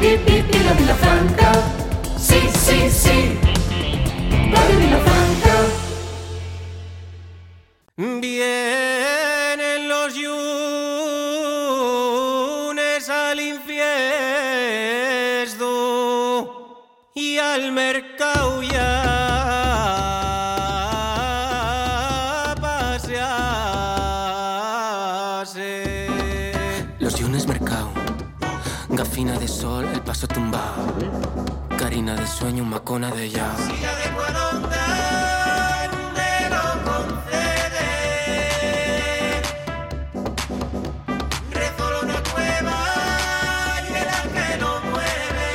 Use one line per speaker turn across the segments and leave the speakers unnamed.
viva Vilafranca. Sí, sí, sí, Radio Vilafranca.
Vienen los llunes al infiesto y al mercado ya pasearse.
Los llunes mercado, gafina de sol, el paso tumbado, carina de sueño, macona de ya.
Silla de Cuadonda, me lo concede. Rezo una cueva y el ángel lo mueve.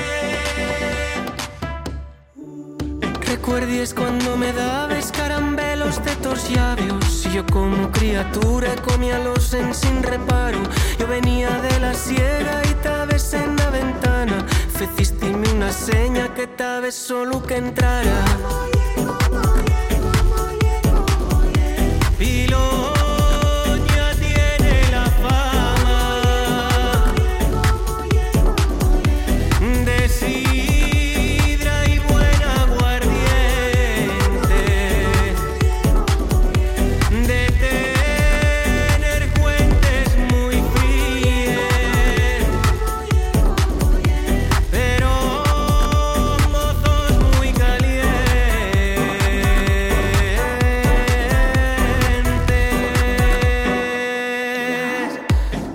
Recuerdes cuando me dabes carambelos de tus llavios y yo como criatura comía los sin reparo. Yo venía de la sierra y tabes en la ventana. Fecistime una seña que tabes solo que entrara. Piloña tiene la fama de sidra y buen aguardiente, de tener fuentes muy frías, pero mozos muy calientes.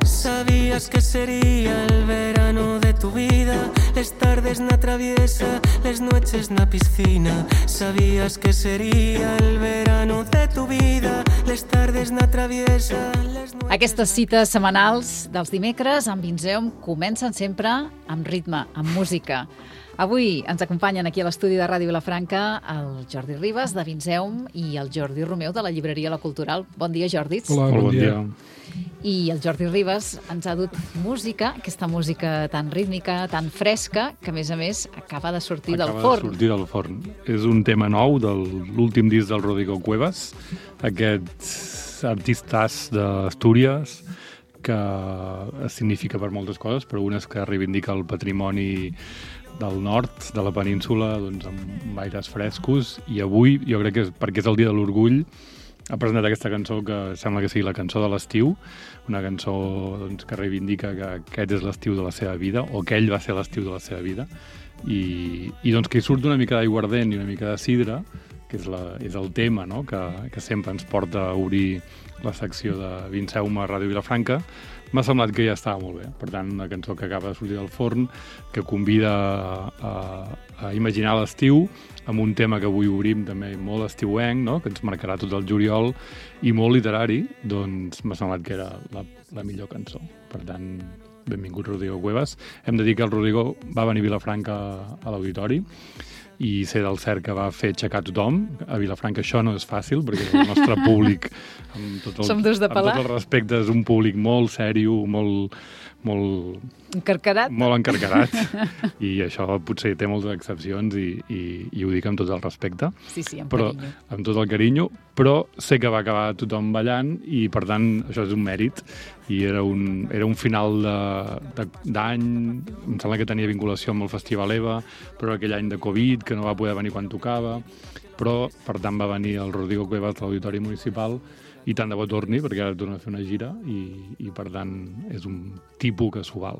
Sabías que sería el verano de tu vida, les tardes na traviesa, les noches na piscina. Sabías que sería el verano de tu vida, les tardes na traviesa, les noches...
Aquestes cites setmanals dels dimecres amb Vinzeum comencen sempre amb ritme, amb música. Avui ens acompanyen aquí a l'estudi de Ràdio Vilafranca el Jordi Ribas, de Vinzeum, i el Jordi Romeu, de la llibreria La Cultural. Bon dia, Jordis.
Hola, bon dia.
I el Jordi Ribas ens ha dut música, aquesta música tan rítmica, tan fresca, que a més acaba de sortir del forn.
Acaba de sortir del forn. És un tema nou de l'últim disc del Rodrigo Cuevas, aquests artistes d'Astúries, que significa per moltes coses, però una és que reivindica el patrimoni del nord, de la península, doncs, amb aires frescos, i avui, jo crec que perquè és el dia de l'orgull, ha presentat aquesta cançó que sembla que sigui la cançó de l'estiu, una cançó doncs, que reivindica que aquest és l'estiu de la seva vida, o que ell va ser l'estiu de la seva vida, i doncs que hi surt una mica d'aiguardent i una mica de sidra, que és el tema, no? que sempre ens porta a obrir la secció de Vinceum a Ràdio Vilafranca. M'ha semblat que ja estava molt bé. Per tant, una cançó que acaba de sortir del forn, que convida a imaginar l'estiu, amb un tema que avui obrim també molt estiuenc, no? Que ens marcarà tot el juliol, i molt literari, doncs m'ha semblat que era la millor cançó. Per tant, benvingut Rodrigo Cuevas. Hem de dir que el Rodrigo va venir a Vilafranca a l'auditori, i sé del cert que va fer aixecar tothom. A Vilafranca això no és fàcil, perquè el nostre públic, amb tot el respecte, és un públic molt sèrio, molt
encarcarat.
Molt encarcarat. I això potser té moltes excepcions i ho dic amb tot el respecte.
Sí, amb
carinyo. Amb tot el carinyo, però sé que va acabar tothom ballant i, per tant, això és un mèrit. I era un final d'any, em sembla que tenia vinculació amb el Festival EVA, però aquell any de Covid, que no va poder venir quan tocava, però, per tant, va venir el Rodrigo Cuevas a l'Auditori Municipal, i tant de bo torni, perquè ara torna a fer una gira, i per tant, és un tipus que s'ho val.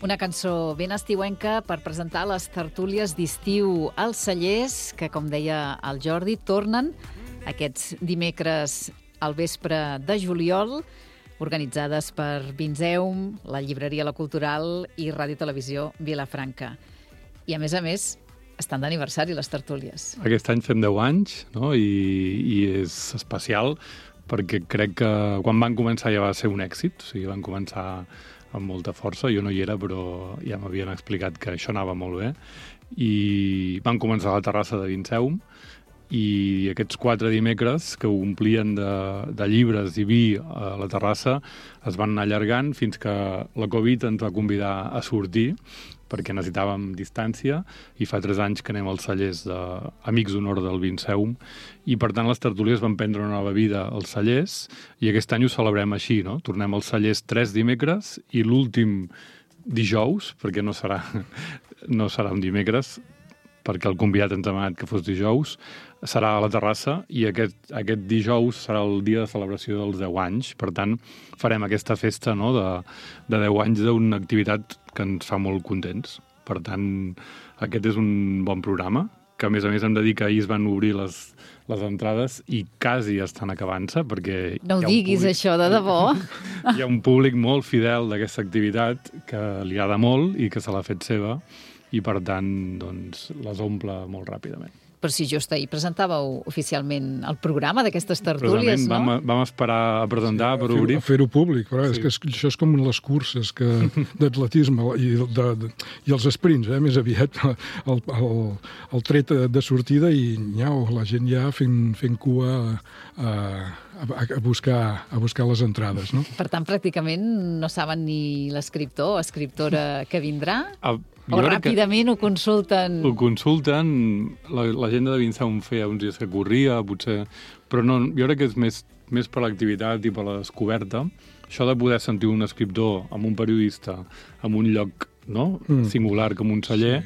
Una cançó ben estiuenca per presentar les tertúlies d'estiu als Cellers, que, com deia el Jordi, tornen aquests dimecres al vespre de juliol, organitzades per Vinzeum, la llibreria La Cultural i Ràdio Televisió Vilafranca. I, a més, estan d'aniversari les tertúlies.
Aquest any fem 10 anys, no? I és especial perquè crec que quan van començar ja va ser un èxit, o sigui, van començar amb molta força, jo no hi era, però ja m'havien explicat que això anava molt bé, i van començar a la terrassa de Vinceum, i aquests 4 dimecres que ho omplien de llibres i vi a la terrassa es van anar allargant fins que la Covid ens va convidar a sortir, perquè necessitàvem distància, i fa 3 anys que anem als cellers d'Amics d'Honor del Vinceum, i per tant les tertúlies van prendre una nova vida als cellers, i aquest any ho celebrem així, no? Tornem als cellers 3 dimecres, i l'últim dijous, perquè no serà un dimecres, perquè el convidat ens ha demanat que fos dijous, serà a la terrassa i aquest dijous serà el dia de celebració dels 10 anys. Per tant, farem aquesta festa, no?, de 10 anys d'una activitat que ens fa molt contents. Per tant, aquest és un bon programa, que a més hem de dir que ahir es van obrir les entrades i quasi estan acabant-se, perquè...
No ho diguis, això, de debò.
Hi ha un públic molt fidel d'aquesta activitat que li agrada molt i que se l'ha fet seva, i per tant doncs, les omple molt ràpidament.
Però si just ahir presentàveu oficialment el programa d'aquestes tertúlies, no?
Vam esperar a presentar per obrir.
A fer-ho públic, però és que això és com les curses d'atletisme i els sprints, més aviat el tret de sortida i nyau, la gent ja fent cua a buscar les entrades, no?
Per tant, pràcticament no saben ni l'escriptor o escriptora que vindrà? O ràpidament ho consulten?
Ho consulten. La gent de Vinsaum feia uns dies que corria, potser... Però no, jo crec que és més per l'activitat i per la descoberta. Això de poder sentir un escriptor amb un periodista en un lloc, no?, singular com un celler,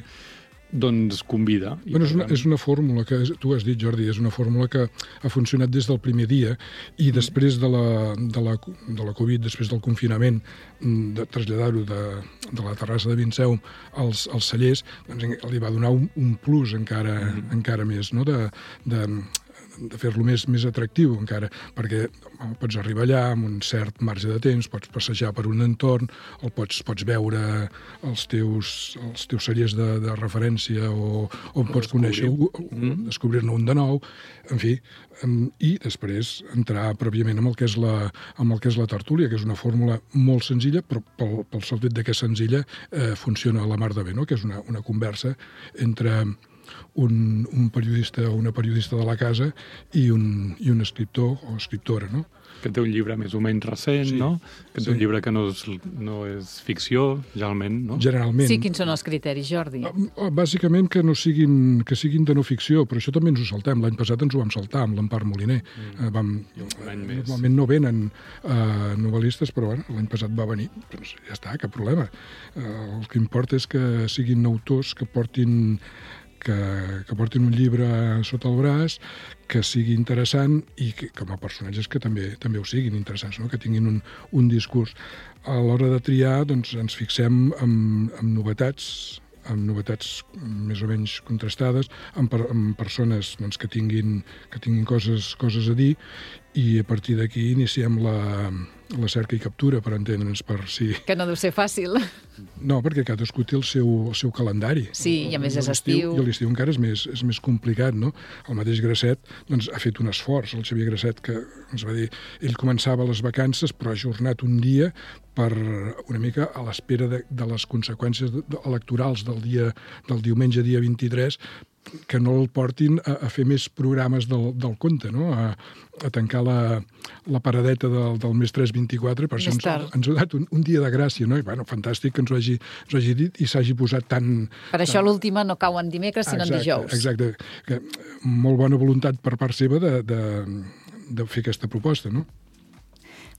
doncs convida.
Bueno, és una fórmula que, tu has dit, Jordi, és una fórmula que ha funcionat des del primer dia i després de la Covid, després del confinament, de traslladar-ho de la terrassa de Vinsaum als cellers, doncs li va donar un plus encara més, no?, de fer-lo més atractiu encara, perquè pots arribar allà amb un cert marge de temps, pots passejar per un entorn, pots veure els teus cellers de referència o pots conèixer descobrir-ne un de nou, en fi, i després entrar pròpiament amb el que és la tertúlia, que és una fórmula molt senzilla, però pel sol fet de que és senzilla funciona a la mar de bé, no?, que és una conversa entre un periodista o una periodista de la casa i un escriptor o escriptora, no?
Que té un llibre més o menys recent, no? Que té un llibre que no és ficció, generalment, no?
Generalment.
Sí, quins són els criteris, Jordi?
Bàsicament que siguin de no ficció, però això també ens ho saltem. L'any passat ens ho vam saltar amb l'Empar Moliner. Normalment no venen novel·listes, però bueno, l'any passat va venir. Doncs ja està, cap problema. El que importa és que siguin autors que portin un llibre sota el braç, que sigui interessant i que, com a personatges que també ho siguin interessants, no?, que tinguin un discurs. A l'hora de triar, doncs, ens fixem en novetats més o menys contrastades, en persones doncs, que tinguin coses a dir, i a partir d'aquí iniciem la cerca i captura, per entendre'ns, per si...
Que no deu ser fàcil.
No, perquè cadascú té el seu calendari.
Sí, i a més és estiu.
I l'estiu encara és més complicat, no? El mateix Grasset doncs, ha fet un esforç, el Xavier Grasset, que ens va dir... Ell començava les vacances, però ha ajornat un dia per una mica a l'espera de les conseqüències electorals del diumenge dia 23, que no el portin a fer més programes del conte, no?, a tancar la paradeta del mes 3-24, per això ens ha donat un dia de gràcia, no? I, bueno, fantàstic que ens ho hagi dit i s'hagi posat tan...
Per això l'última no cau en dimecres, sinó en dijous.
Exacte. Que molt bona voluntat per part seva de fer aquesta proposta, no?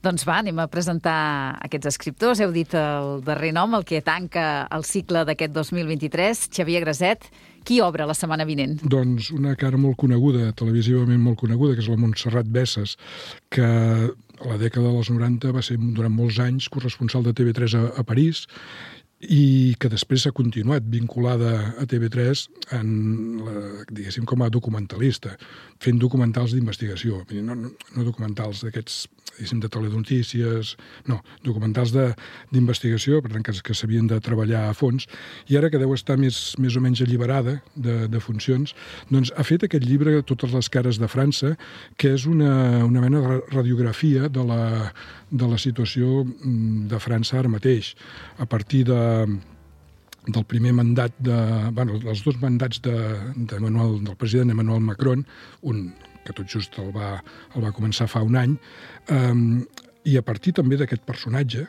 Doncs va, anem a presentar aquests escriptors. Heu dit el darrer nom, el que tanca el cicle d'aquest 2023, Xavier Grasset. Qui obre la setmana vinent?
Doncs una cara molt coneguda, televisivament molt coneguda, que és la Montserrat Bessas, que a la dècada dels 90 va ser durant molts anys corresponsal de TV3 a París, i que després s'ha continuat vinculada a TV3 diguéssim, com a documentalista, fent documentals d'investigació. No documentals d'aquests, diguéssim, de telenotícies, no, documentals d'investigació, per tant, que s'havien de treballar a fons, i ara que deu estar més o menys alliberada de funcions, doncs ha fet aquest llibre, Totes les cares de França, que és una mena de radiografia de la situació de França ara mateix, a partir del primer mandat dels dos mandats del president Emmanuel Macron, un que tot just el va començar fa un any, i a partir també d'aquest personatge,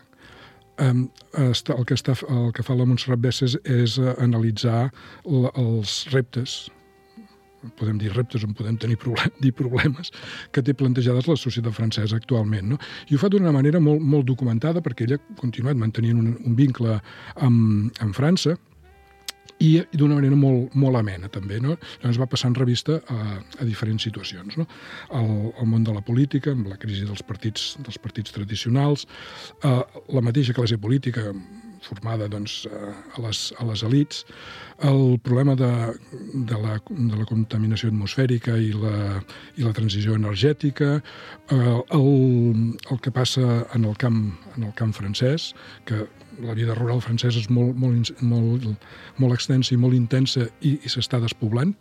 el que fa la Montserrat Bessas és analitzar els reptes podem dir reptes, on podem dir problemes, que té plantejades la societat francesa actualment. No? I ho fa d'una manera molt documentada, perquè ella ha continuat mantenint un vincle amb França, i d'una manera molt amena, també. No? Llavors va passant revista a diferents situacions. No? El món de la política, amb la crisi dels partits tradicionals, la mateixa classe política formada doncs, a les elites, el problema de la contaminació atmosfèrica i la transició energètica, el que passa en el camp francès, que la vida rural francesa és molt extensa i molt intensa i s'està despoblant.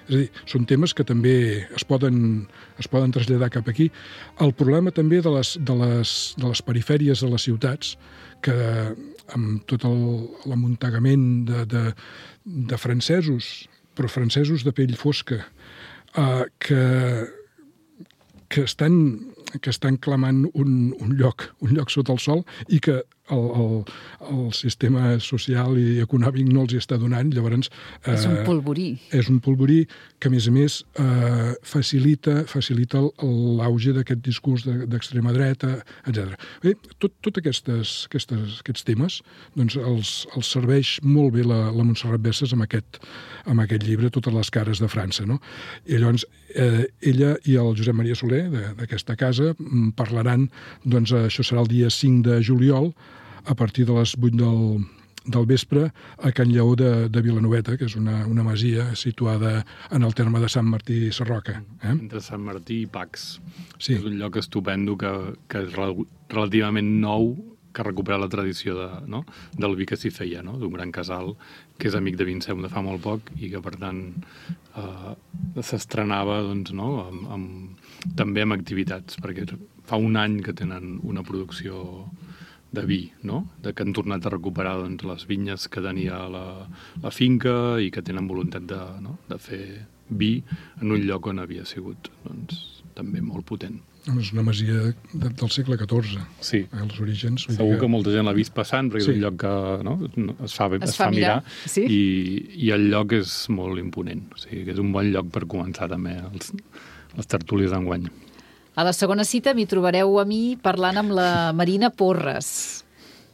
És a dir, són temes que també es poden traslladar cap aquí. El problema també de les perifèries de les ciutats, que amb tot l'amuntegament de francesos, però francesos de pell fosca, que estan clamant un lloc sota el sol i que el sistema social i econòmic no els hi està donant, llavors...
És un polvorí.
És un polvorí que, a més, facilita l'auge d'aquest discurs d'extrema dreta, etc. Bé, tots aquests temes doncs, els serveix molt bé la Montserrat Bessas amb aquest llibre, Totes les cares de França. No? I llavors, ella i el Josep Maria Soler, d'aquesta casa, parlaran, doncs, això serà el dia 5 de juliol, a partir de les 8 del vespre, a Can Lleó de Vilanoveta, que és una masia situada en el terme de Sant Martí Sarroca.
Entre Sant Martí i Pacs.
Sí.
És un lloc estupendo que és relativament nou, que recupera la tradició del vi que s'hi feia, no? D'un gran casal que és amic de Vinceum de fa molt poc i que, per tant, s'estrenava doncs, no? També amb activitats, perquè fa un any que tenen una producció de vi, no? Que han tornat a recuperar doncs, les vinyes que tenia la finca i que tenen voluntat de fer vi en un lloc on havia sigut doncs, també molt potent.
És una masia del segle XIV,
sí.
Els orígens.
Segur que molta gent l'ha vist passant, perquè és un lloc que es fa mirar
sí?
i el lloc és molt imponent. O sigui, que és un bon lloc per començar també les tertúlies d'enguany.
A la segona cita m'hi trobareu a mi parlant amb la Marina Porres,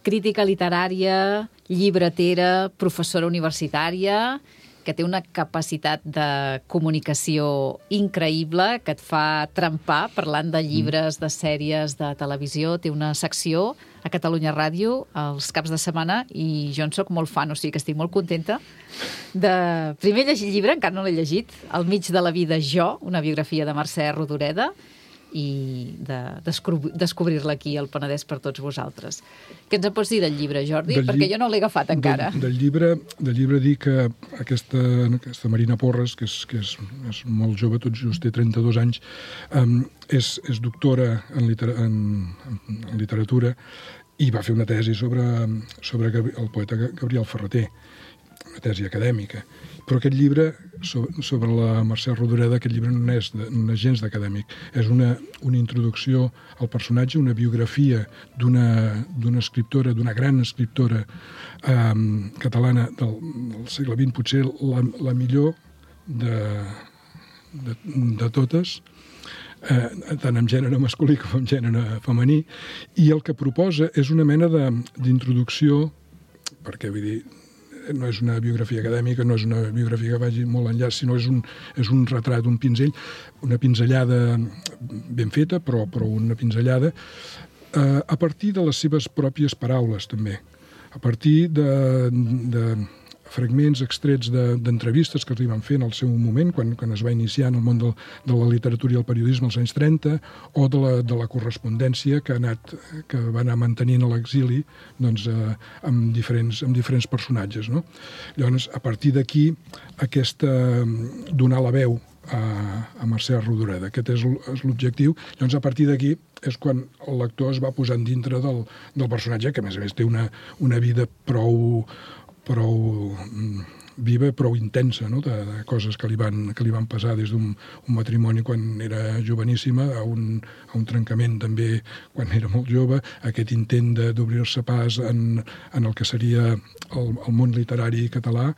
crítica literària, llibretera, professora universitària, que té una capacitat de comunicació increïble, que et fa trempar parlant de llibres, de sèries, de televisió. Té una secció a Catalunya Ràdio els caps de setmana i jo en soc molt fan, o sigui que estic molt contenta de primer llegir el llibre, encara no l'he llegit, Al mig de la vida jo, una biografia de Mercè Rodoreda, i de descobrir-la aquí al Penedès per tots vosaltres. Què ens en pots dir del llibre, Jordi? Perquè jo no l'he agafat encara.
Del llibre dir que aquesta Marina Porres, que és molt jove, tot just té 32 anys, és doctora en literatura i va fer una tesi sobre el poeta Gabriel Ferrater, una tesi acadèmica. Però aquest llibre, sobre la Mercè Rodoreda, aquest llibre no és gens d'acadèmic. És una introducció al personatge, una biografia d'una escriptora, d'una gran escriptora catalana del segle XX, potser la millor de totes, tant en gènere masculí com en gènere femení, i el que proposa és una mena d'introducció, perquè vull dir, no és una biografia acadèmica, no és una biografia que vagi molt enllà, sinó és un retrat, un pinzell, una pinzellada ben feta, però una pinzellada a partir de les seves pròpies paraules, també. A partir de fragments extrets d'entrevistes que li van fer en el seu moment, quan es va iniciar en el món de la literatura i el periodisme als anys 30, o de la correspondència que va anar mantenint a l'exili doncs, amb diferents personatges. No? Llavors, a partir d'aquí, donar la veu a Mercè Rodoreda. Aquest és l'objectiu. Llavors, a partir d'aquí, és quan el lector es va posant dintre del personatge, que a més té una vida prou viva, prou intensa, no? de coses que li van passar des d'un matrimoni quan era joveníssima a un trencament també quan era molt jove, aquest intent d'obrir-se pas en el que seria el món literari català,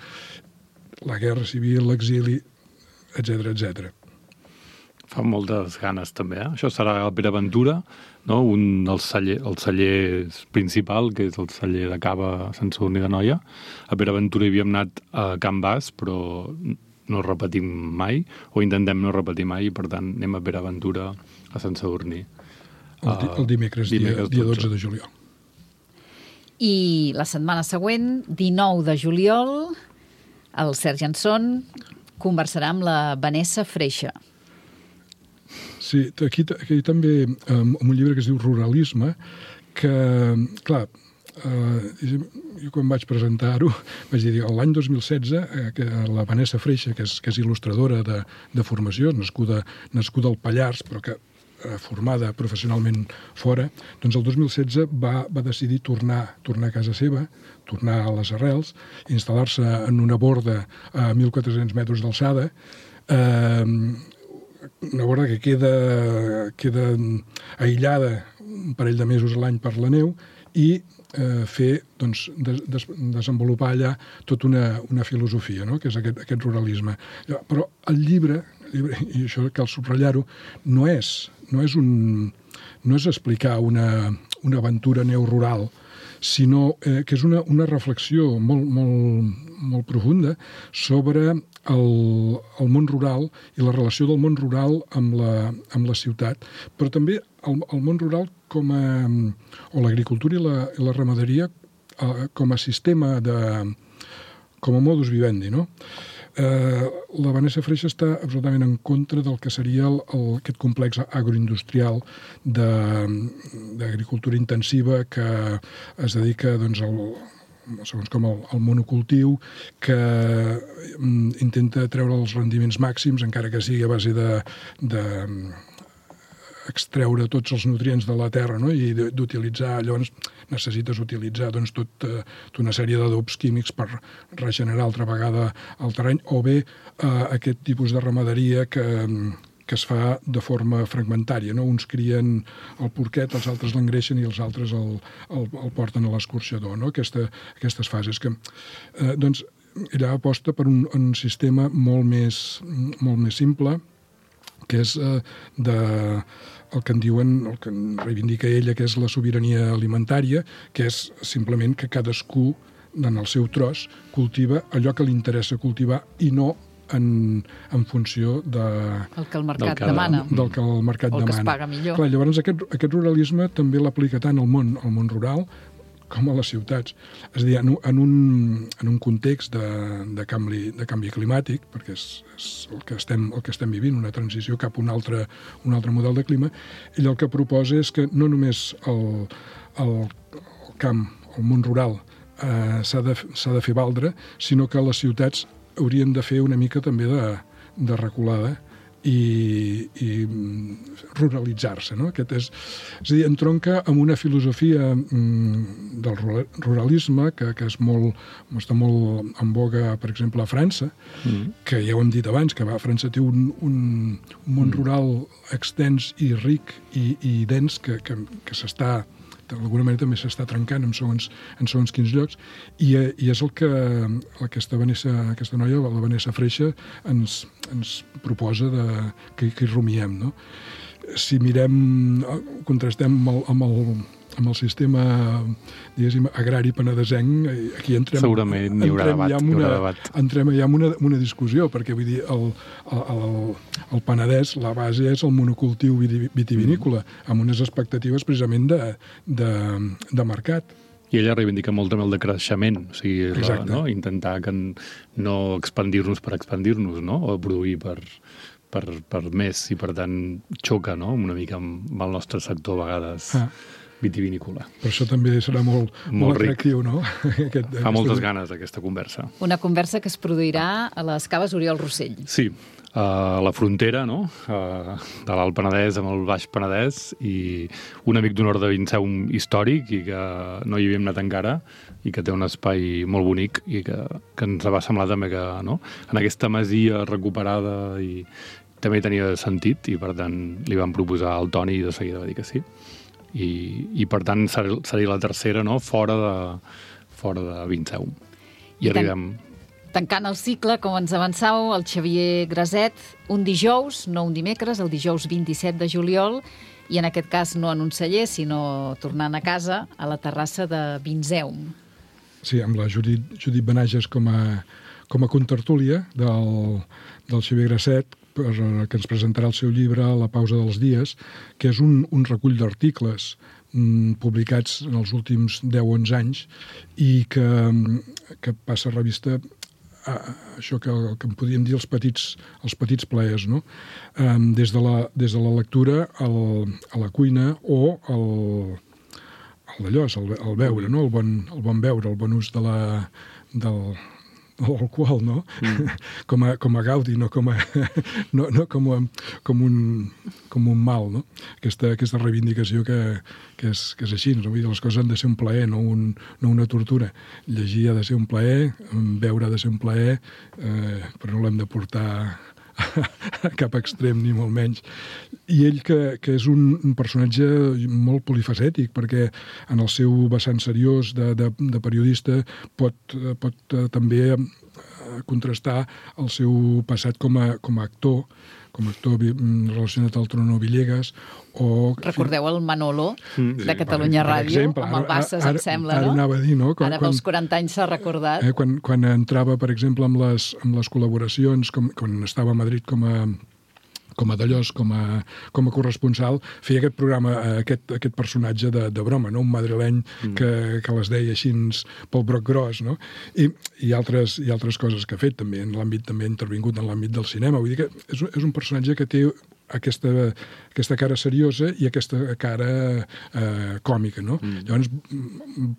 la guerra civil, l'exili, etc.
Fa moltes ganes, també, eh? Això serà el Pere Ventura, no? El celler principal, que és el celler de cava a Sant Sadurní d'Anoia. A Pere Ventura hi havíem anat a Can Bas, però no repetim mai, o intentem no repetir mai, i per tant anem a Pere Ventura a Sant Sadurní.
El dimecres, dia 12 de juliol.
I la setmana següent, 19 de juliol, el Sergi Anson conversarà amb la Vanessa Freixa.
Sí, aquí també, amb un llibre que es diu Ruralisme, que, clar, jo quan vaig presentar-ho, vaig dir, l'any 2016, que la Vanessa Freixa, que és il·lustradora de formació, nascuda al Pallars, però que formada professionalment fora, doncs el 2016 va decidir tornar a casa seva, tornar a les arrels, instal·lar-se en una borda a 1.400 metres d'alçada, una borda que queda aïllada un parell de mesos a l'any per la neu i desenvolupar allà tota una filosofia, no? Que és aquest ruralisme. Però el llibre, i això cal subratllar-ho, no és explicar una aventura neorural, sinó que és una reflexió molt profunda sobre el món rural i la relació del món rural amb la ciutat, però també el món rural o l'agricultura i la ramaderia com a sistema, com a modus vivendi, no? La Vanessa Freixa està absolutament en contra del que seria aquest complex agroindustrial d'agricultura intensiva que es dedica segons com el monocultiu, que intenta treure els rendiments màxims, encara que sigui a base de extreure tots els nutrients de la terra, no? I d'utilitzar, llavors necessites utilitzar tota una sèrie d'adobs químics per regenerar altra vegada el terreny, o bé aquest tipus de ramaderia que es fa de forma fragmentària, no? Uns crien el porquet, els altres l'engreixen i els altres el porten a l'escorxador, no? Aquestes fases que doncs ella aposta per un sistema molt més simple, que és el que en reivindica ella, que és la sobirania alimentària, que és simplement que cadascú, en el seu tros, cultiva allò que li interessa cultivar i no en funció
el que el mercat demana.
Del que el mercat demana.
O que es paga millor.
Clar, llavors aquest ruralisme també l'aplica tant al món rural com a les ciutats. És a dir, en un context de canvi climàtic, perquè és el que estem vivint, una transició cap a un altre model de clima, ell el que proposa és que no només el camp, el món rural, s'ha de fer valdre, sinó que les ciutats haurien de fer una mica també de reculada i ruralitzar-se, no? És a dir, entronca amb una filosofia del ruralisme que està molt en boga, per exemple, a França, que ja ho hem dit abans, que França té un món rural extens i ric i dens que s'està, d'alguna manera també s'està trencant en segons quins llocs, i és el que aquesta noia, la Vanessa Freixa, ens proposa que hi rumiem, no? Si mirem, contrastem amb el sistema, diguéssim, agrari penedesenc, aquí
segurament hi haurà debat.
Entrem ja en una discussió, perquè vull dir, el Penedès, la base és el monocultiu vitivinícola, amb unes expectatives precisament de mercat.
I ella reivindica molt també el decreixement, o sigui, intentar no expandir-nos per expandir-nos, no? O produir per més, i per tant xoca, no? Una mica amb el nostre sector a vegades vitivinícola.
Per això també serà molt atractiu, no?
Fa moltes ganes aquesta conversa.
Una conversa que es produirà a les Caves Oriol Rossell.
Sí, a la frontera, no? De l'Alt Penedès amb el Baix Penedès, i un amic d'honor de Vinceum històric i que no hi havíem anat encara i que té un espai molt bonic i que ens va semblar també que, no? En aquesta masia recuperada i també tenia sentit, i per tant li vam proposar al Toni i de seguida va dir que sí. I per tant seria la tercera, no? Fora de Vinceum. I arribem
Tancant el cicle, com ens avançàveu, el Xavier Graset, un dijous, no un dimecres, el dijous 27 de juliol, i en aquest cas no en un celler, sinó tornant a casa, a la terrassa de Vinzeum.
Sí, amb la Judit Benages com a contertúlia del Xavier Graset, que ens presentarà el seu llibre La pausa dels dies, que és un recull d'articles publicats en els últims 10-11 anys i que passa a revista això que en podríem dir els petits plaers, no? Des de la lectura a la cuina o el beure, no? El bon beure, el bon ús de l'alcohol, no? Com a gaudi, no com un mal, no? Aquesta reivindicació que és així, no? Vull dir, les coses han de ser un plaer, no una tortura. Llegir ha de ser un plaer, beure ha de ser un plaer, però no l'hem de portar a cap extrem, ni molt menys. I ell, que és un personatge molt polifacètic, perquè en el seu vessant seriós de periodista pot també contrastar el seu passat com a actor relacionat al Trono Villegas, o...
Recordeu el Manolo de Catalunya Ràdio, amb el Bassas, em sembla, no?
Ara anava a dir, no?
Ara pels 40 anys s'ha recordat.
Quan entrava, per exemple, amb les col·laboracions, quan estava a Madrid com a corresponsal, feia aquest programa, aquest personatge de broma, no? Un madrileny que les deia així pel broc gros, no? I altres coses que ha fet, també en l'àmbit, també ha intervingut en l'àmbit del cinema. Vull dir que és un personatge que té aquesta cara seriosa i aquesta cara còmica, no? Llavors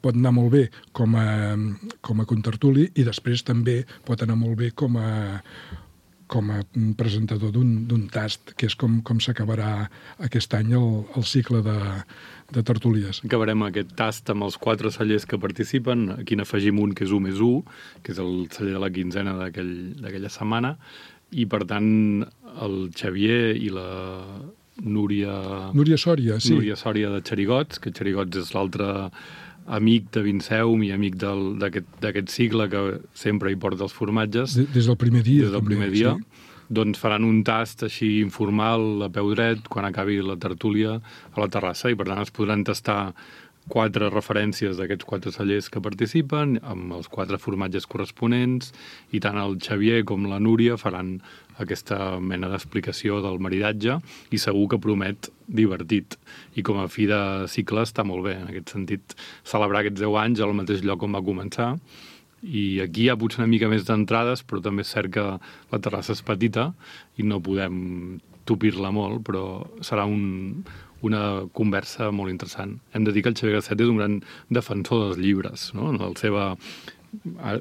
pot anar molt bé com a contertuli i després també pot anar molt bé com a presentador d'un tast, que és com s'acabarà aquest any el cicle de tertúlies.
Acabarem aquest tast amb els 4 cellers que participen. Aquí n'afegim un que és 1+1, que és el celler de la quinzena d'aquella setmana, i per tant el Xavier i la Núria Sòria, sí. Núria Sòria de Xerigots, que Xerigots és l'altre amic de Vinzeum i amic d'aquest cicle que sempre hi porta els formatges.
Des del primer dia.
Des del primer dia. Sí. Doncs faran un tast així informal, a peu dret, quan acabi la tertúlia a la terrassa, i per tant es podran tastar 4 referències d'aquests 4 cellers que participen, amb els 4 formatges corresponents, i tant el Xavier com la Núria faran aquesta mena d'explicació del maridatge, i segur que promet divertit. I com a fi de cicle està molt bé, en aquest sentit, celebrar aquests 10 anys al mateix lloc on va començar. I aquí hi ha potser una mica més d'entrades, però també és cert que la terrassa és petita i no podem tupir-la molt, però serà una conversa molt interessant. Hem de dir que el Xavier Graset és un gran defensor dels llibres, no? En la seva,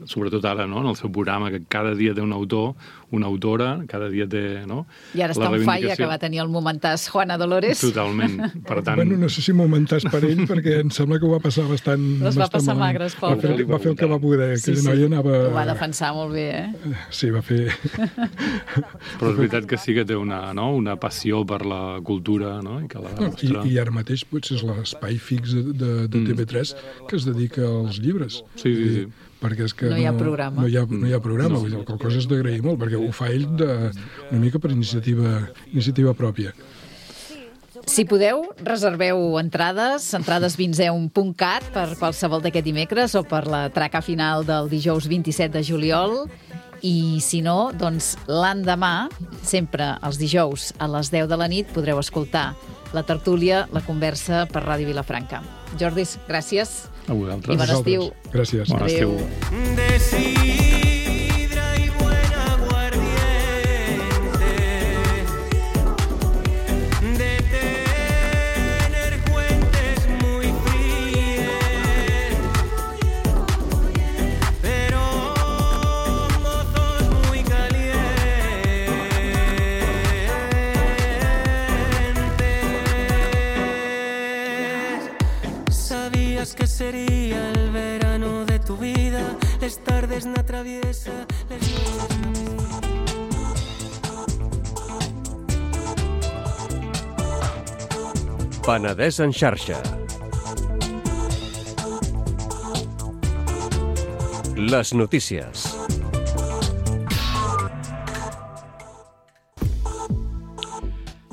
sobretot ara, no? En el seu programa, que cada dia té un autor, una autora, cada dia té... No?
I ara està en falla, que va tenir el momentàs Juana Dolores.
Totalment. Per tant...
Bueno, no sé si momentàs per ell, perquè em sembla que ho va passar bastant...
Les va passar magres, pobre.
Va fer el que va poder.
Sí, sí. Ho va defensar molt bé,
Sí, va fer...
Però és veritat que sí que té una passió per la cultura, no? I que la demostra.
I ara mateix potser és l'espai fix de TV3 que es dedica als llibres.
Sí.
Perquè és que
no hi ha programa.
No hi ha programa, vull dir, la cosa és d'agrair molt, perquè ho fa ell una mica per iniciativa pròpia.
Si podeu, reserveu entrades vinzeum.cat per qualsevol d'aquest dimecres o per la traca final del dijous 27 de juliol. I si no, doncs l'endemà, sempre els dijous a les 10 de la nit, podreu escoltar la tertúlia, la conversa per Ràdio Vilafranca. Jordis, gràcies.
A vosaltres.
I bon estiu.
Gràcies.
Bon estiu.
De sidra y buen aguardiente, de tener fuentes muy frías, pero mozos muy calientes. Sabías que sería el verano de tu vida, les tardes na traviesa,
Penedès en xarxa. Les notícies.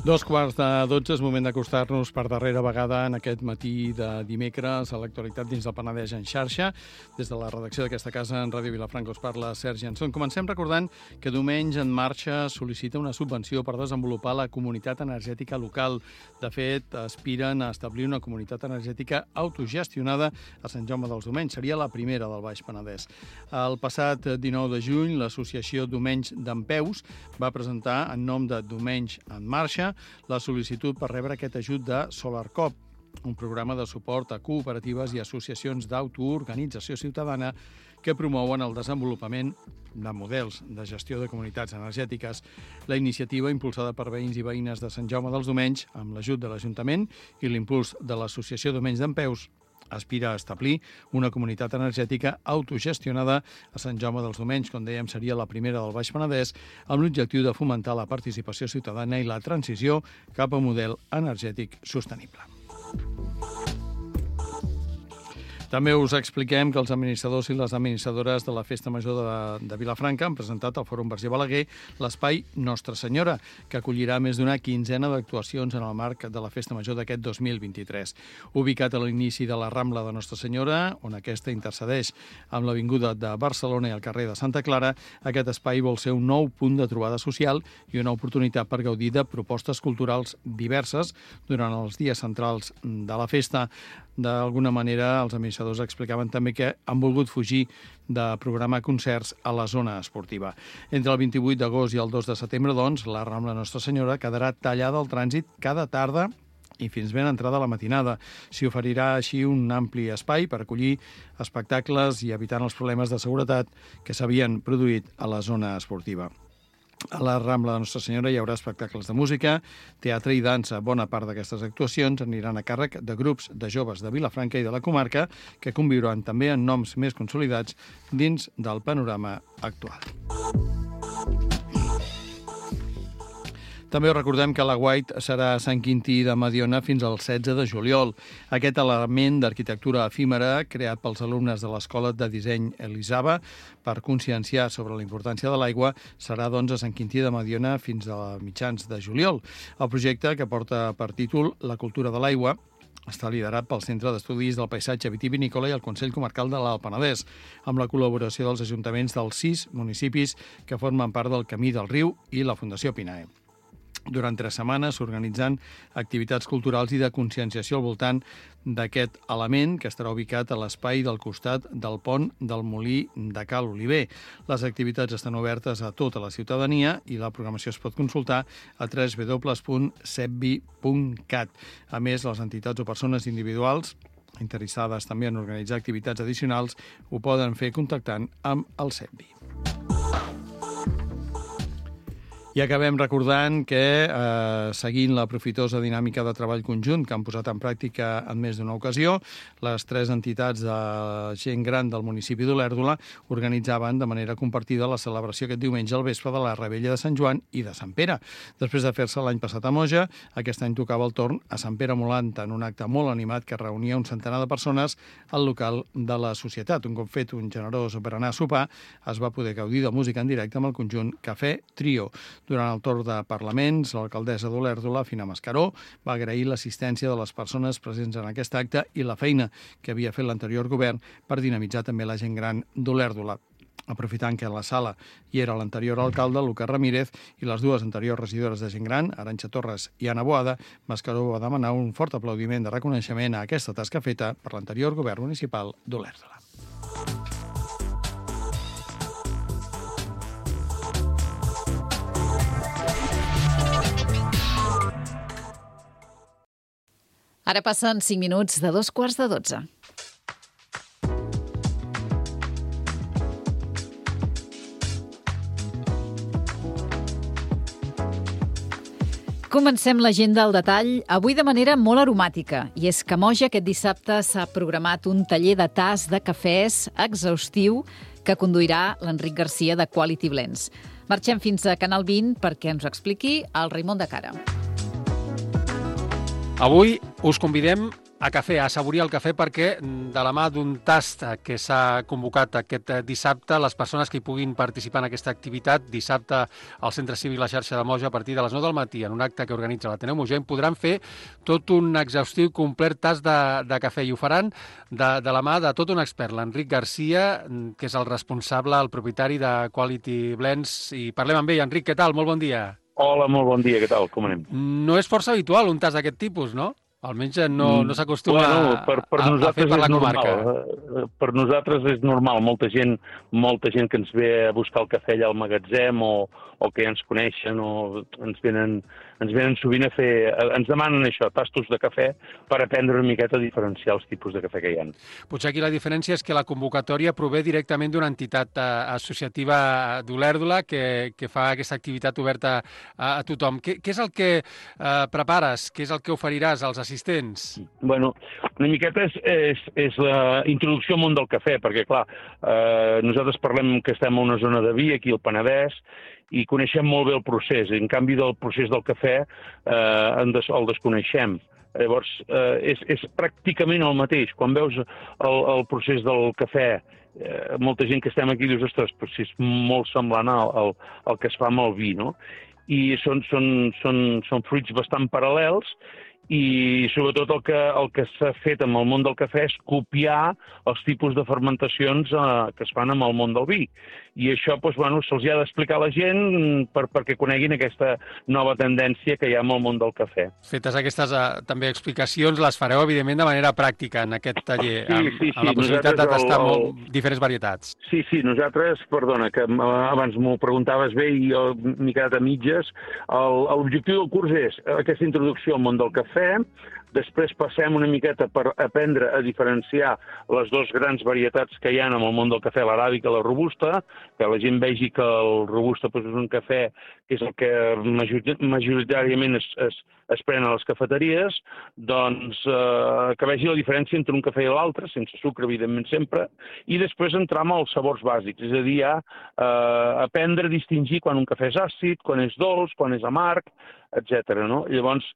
2:45 és moment d'acostar-nos per darrera vegada en aquest matí de dimecres a l'actualitat dins del Penedès en xarxa. Des de la redacció d'aquesta casa en Ràdio Vilafranca us parla Sergi Anson. Comencem recordant que Diumenge en Marxa sol·licita una subvenció per desenvolupar la comunitat energètica local. De fet, aspiren a establir una comunitat energètica autogestionada a Sant Jaume dels Domenys. Seria la primera del Baix Penedès. El passat 19 de juny, l'associació Domenys d'Empeus va presentar en nom de Domenys en Marxa la sol·licitud per rebre aquest ajut de SolarCop, un programa de suport a cooperatives i associacions d'autoorganització ciutadana que promouen el desenvolupament de models de gestió de comunitats energètiques. La iniciativa, impulsada per veïns i veïnes de Sant Jaume dels Domenys, amb l'ajut de l'Ajuntament i l'impuls de l'Associació Domenys d'Empeus, aspira a establir una comunitat energètica autogestionada a Sant Jaume dels Domenys, com dèiem, seria la primera del Baix Penedès, amb l'objectiu de fomentar la participació ciutadana i la transició cap a un model energètic sostenible. També us expliquem que els administradors i les administradores de la Festa Major de Vilafranca han presentat al Fòrum Verger Balaguer l'espai Nostra Senyora, que acollirà més d'una quinzena d'actuacions en el marc de la Festa Major d'aquest 2023. Ubicat a l'inici de la Rambla de Nostra Senyora, on aquesta intercedeix amb l'Avinguda de Barcelona i el carrer de Santa Clara, aquest espai vol ser un nou punt de trobada social i una oportunitat per gaudir de propostes culturals diverses durant els dies centrals de la festa. D'alguna manera, els administradors explicaven també que han volgut fugir de programar concerts a la zona esportiva. Entre el 28 d'agost i el 2 de setembre, doncs, la Rambla Nostra Senyora quedarà tallada al trànsit cada tarda i fins ben entrada la matinada. S'hi oferirà així un ampli espai per acollir espectacles i evitant els problemes de seguretat que s'havien produït a la zona esportiva. A la Rambla de Nostra Senyora hi haurà espectacles de música, teatre i dansa. Bona part d'aquestes actuacions aniran a càrrec de grups de joves de Vilafranca i de la comarca que conviuran també en noms més consolidats dins del panorama actual. També us recordem que la White serà a Sant Quintí de Mediona fins al 16 de juliol. Aquest element d'arquitectura efímera, creat pels alumnes de l'Escola de Disseny Elisava per conscienciar sobre la importància de l'aigua, serà doncs a Sant Quintí de Mediona fins a mitjans de juliol. El projecte, que porta per títol La cultura de l'aigua, està liderat pel Centre d'Estudis del Paisatge Vitivinícola i el Consell Comarcal de l'Alt Penedès, amb la col·laboració dels ajuntaments dels 6 municipis que formen part del Camí del Riu i la Fundació Pinae. Durant 3 setmanes s'organitzan activitats culturals i de conscienciació al voltant d'aquest element que estarà ubicat a l'espai del costat del pont del Molí de Cal Oliver. Les activitats estan obertes a tota la ciutadania i la programació es pot consultar a www.sepvi.cat. A més, les entitats o persones individuals interessades també en organitzar activitats addicionals ho poden fer contactant amb el Sepvi. I acabem recordant que, seguint la profitosa dinàmica de treball conjunt que han posat en pràctica en més d'una ocasió, les 3 entitats de gent gran del municipi d'Olèrdola organitzaven de manera compartida la celebració aquest diumenge al vespre de la Rebella de Sant Joan i de Sant Pere. Després de fer-se l'any passat a Moja, aquest any tocava el torn a Sant Pere Molant, en un acte molt animat que reunia un centenar de persones al local de la societat. Un cop fet un generós berenar a sopar, es va poder gaudir de música en directe amb el conjunt Cafè Trio. Durant el torn de parlaments, l'alcaldessa d'Olèrdola, Fina Mascaró, va agrair l'assistència de les persones presents en aquest acte i la feina que havia fet l'anterior govern per dinamitzar també la gent gran d'Olèrdola. Aprofitant que a la sala hi era l'anterior alcalde, Lucas Ramírez, i les 2 anteriors regidores de gent gran, Arantxa Torres i Anna Boada, Mascaró va demanar un fort aplaudiment de reconeixement a aquesta tasca feta per l'anterior govern municipal d'Olèrdola.
Ara passen 5 minuts de 11:45. Comencem l'agenda al detall, avui de manera molt aromàtica. I és que a Moja aquest dissabte s'ha programat un taller de tas de cafès exhaustiu que conduirà l'Enric Garcia de Quality Blends. Marxem fins a Canal 20 perquè ens ho expliqui el Raimon de Cara.
Avui us convidem a cafè, a assaborir el cafè, perquè de la mà d'un tast que s'ha convocat aquest dissabte, les persones que hi puguin participar en aquesta activitat, dissabte al Centre Cívic La Xarxa de Moja a partir de les 9 del matí, en un acte que organitza l'Ateneu Mogenc, podran fer tot un exhaustiu, complet tast de cafè, i ho faran de la mà de tot un expert, l'Enric Garcia, que és el responsable, el propietari de Quality Blends, i parlem amb ell. Enric, què tal? Molt bon dia.
Hola, molt bon dia, què tal? Com anem?
No és força habitual un tast d'aquest tipus, no? Almenys no s'acostuma a fer per la comarca.
Per nosaltres és normal. Molta gent que ens ve a buscar el cafè allà al magatzem o que ja ens coneixen o ens venen sovint a fer... Ens demanen això, tastos de cafè, per aprendre una miqueta a diferenciar els tipus de cafè que hi ha.
Potser aquí la diferència és que la convocatòria prové directament d'una entitat associativa d'Olèrdola que fa aquesta activitat oberta a tothom. Què és el que prepares? Què és el que oferiràs als assistents?
Bueno, una miqueta és la introducció al món del cafè, perquè, clar, nosaltres parlem que estem a una zona de vi, aquí al Penedès, i coneixem molt bé el procés. En canvi, del procés del cafè el desconeixem. Llavors, és pràcticament el mateix. Quan veus el procés del cafè, molta gent que estem aquí dius, ostres, però si és molt semblant al que es fa amb el vi, no? I són fruits bastant paral·lels, i sobretot el que s'ha fet amb el món del cafè és copiar els tipus de fermentacions que es fan amb el món del vi. I això se'ls ha d'explicar a la gent perquè coneguin aquesta nova tendència que hi ha amb el món del cafè.
Fetes aquestes també explicacions, les fareu, evidentment, de manera pràctica en aquest taller, amb la possibilitat de tastar diferents varietats.
Sí, nosaltres, perdona, que abans m'ho preguntaves bé i m'he quedat a mitges, l'objectiu del curs és aquesta introducció al món del cafè. Després passem una miqueta per aprendre a diferenciar les dues grans varietats que hi ha en el món del cafè, l'aràbica i la robusta, que la gent vegi que el robusta és un cafè que és el que majoritàriament es pren a les cafeteries, doncs que vegi la diferència entre un cafè i l'altre, sense sucre, evidentment, sempre, i després entrar amb els sabors bàsics, és a dir, aprendre a distingir quan un cafè és àcid, quan és dolç, quan és amarg, etc. No? Llavors,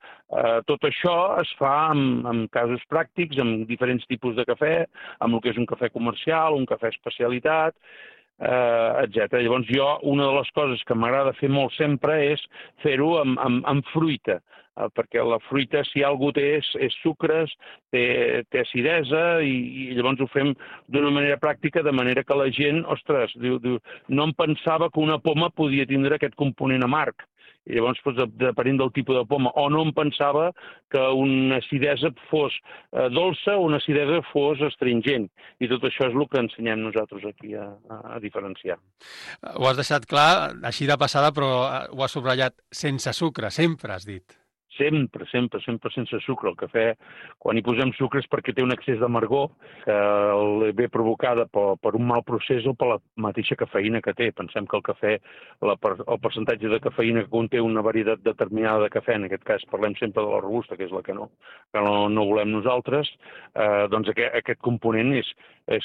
tot això es fa amb casos pràctics, amb diferents tipus de cafè, amb el que és un cafè comercial, un cafè especialitat, etc. Llavors, una de les coses que m'agrada fer molt sempre és fer-ho amb fruita, perquè la fruita, si alguna cosa és sucres, té acidesa, i llavors ho fem d'una manera pràctica, de manera que la gent, ostres, diu, no em pensava que una poma podia tindre aquest component amarg. I llavors, depenent del tipus de poma, o no em pensava que una acidesa fos dolça o una acidesa fos astringent. I tot això és el que ensenyem nosaltres aquí a diferenciar.
Ho has deixat clar, així de passada, però ho has subratllat, sense sucre, sempre has dit.
Sempre sense sucre. El cafè, quan hi posem sucre és perquè té un excés d'amargor que ve provocada per un mal procés o per la mateixa cafeïna que té. Pensem que el cafè, el percentatge de cafeïna que conté una varietat determinada de cafè, en aquest cas parlem sempre de la robusta, que és la que no volem nosaltres, doncs aquest component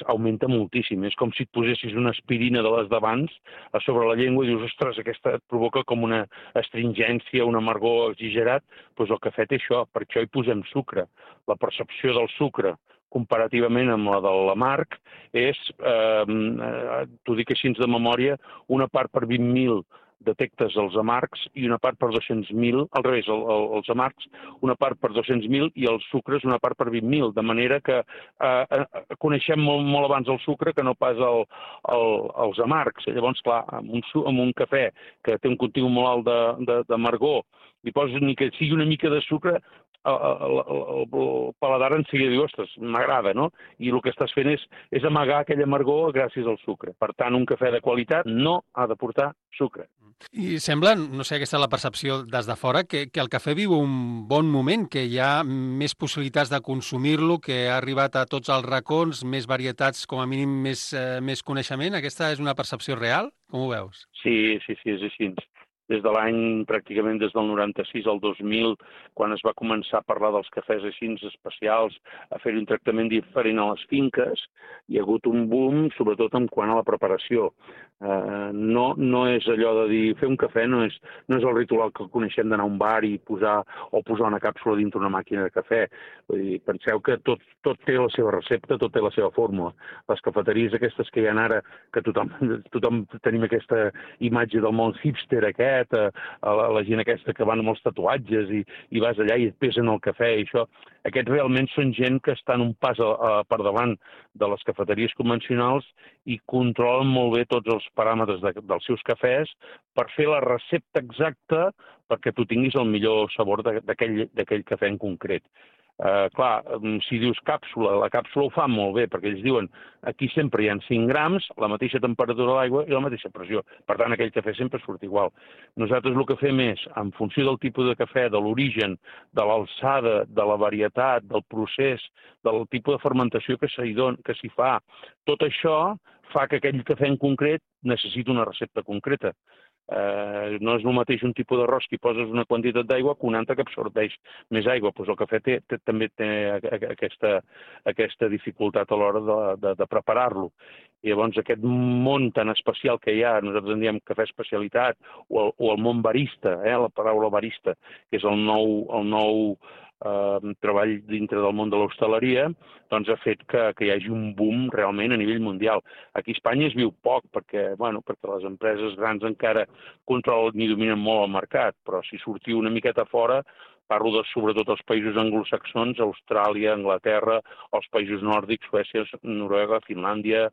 augmenta moltíssim. És com si et posessis una aspirina de les d'abans a sobre la llengua i dius, ostres, aquesta et provoca com una astringència, un amargor exagerat. Doncs el cafè té això, per això hi posem sucre. La percepció del sucre comparativament amb la de l'amarg és, t'ho dic així de memòria, una part per 20.000 detectes els amargs i una part per 200.000, al revés, els amargs, una part per 200.000 i els sucres una part per 20.000, de manera que coneixem molt abans el sucre que no pas els amargs. Llavors, clar, amb un cafè que té un contingut molt alt d'amargor, li poses ni que sigui una mica de sucre, el paladar en seguida diu, ostres, m'agrada, no? I el que estàs fent és amagar aquell amargor gràcies al sucre. Per tant, un cafè de qualitat no ha de portar sucre.
I sembla, no sé, aquesta és la percepció des de fora, que el cafè viu un bon moment, que hi ha més possibilitats de consumir-lo, que ha arribat a tots els racons, més varietats, com a mínim més coneixement. Aquesta és una percepció real? Com ho veus?
Sí, és així. des de l'any, pràcticament des del 96 al 2000, quan es va començar a parlar dels cafès així especials, a fer un tractament diferent a les finques, hi ha hagut un boom, sobretot en quant a la preparació. No és allò de dir, fer un cafè no és el ritual que coneixem d'anar a un bar i posar una càpsula dintre una màquina de cafè. Vull dir, penseu que tot té la seva recepta, tot té la seva fórmula. Les cafeteries aquestes que hi ha ara, que tothom tenim aquesta imatge del món hipster aquest, la gent aquesta que van amb els tatuatges i vas allà i et pesen el cafè i això, aquests realment són gent que estan un pas per davant de les cafeteries convencionals i controlen molt bé tots els paràmetres dels seus cafès per fer la recepta exacta perquè tu tinguis el millor sabor d'aquell cafè en concret. Clar, si dius càpsula, la càpsula ho fa molt bé, perquè ells diuen aquí sempre hi ha 5 grams, la mateixa temperatura de l'aigua i la mateixa pressió. Per tant, aquell cafè sempre surt igual. Nosaltres el que fem és, en funció del tipus de cafè, de l'origen, de l'alçada, de la varietat, del procés, del tipus de fermentació que s'hi fa, tot això fa que aquell cafè en concret necessiti una recepta concreta. No és el mateix un tipus d'arròs que hi poses una quantitat d'aigua que un altre que absorbeix més aigua. Doncs el cafè també té aquesta dificultat a l'hora de preparar-lo. I llavors aquest món tan especial que hi ha, nosaltres en diem cafè especialitat, o el món barista, la paraula barista, que és el nou treball dintre del món de l'hostaleria, doncs ha fet que hi hagi un boom realment a nivell mundial. Aquí a Espanya es viu poc perquè les empreses grans encara controlen i dominen molt el mercat, però si sortiu una miqueta fora, parlo sobretot dels països anglosaxons, Austràlia, Anglaterra, els països nòrdics, Suècia, Noruega, Finlàndia,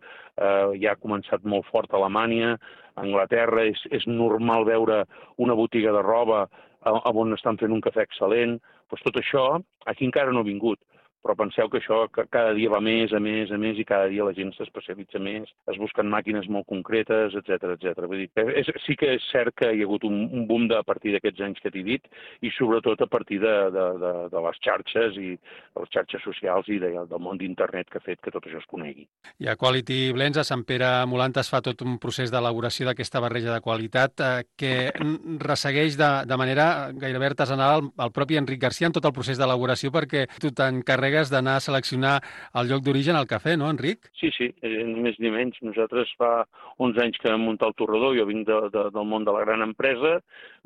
ja ha començat molt fort a Alemanya, Anglaterra, és normal veure una botiga de roba on estan fent un cafè excel·lent. Doncs tot això aquí encara no ha vingut. Però penseu que això cada dia va més, a més i cada dia la gent s'especialitza més, es busquen màquines molt concretes, etc. Vull dir, sí que és cert que hi ha hagut un boom a partir d'aquests anys que t'he dit i sobretot a partir de les xarxes i de les xarxes socials i del món d'internet que ha fet que tot això es conegui.
I a Quality Blends, a Sant Pere Molantes, es fa tot un procés d'elaboració d'aquesta barreja de qualitat que ressegueix de manera gairebé artesanal el propi Enric Garcia en tot el procés d'elaboració perquè tu t'encarregues d'anar a seleccionar el lloc d'origen al cafè, no, Enric?
Sí, ni més ni menys. Nosaltres fa uns anys que vam muntar el torrador, jo vinc del món de la gran empresa,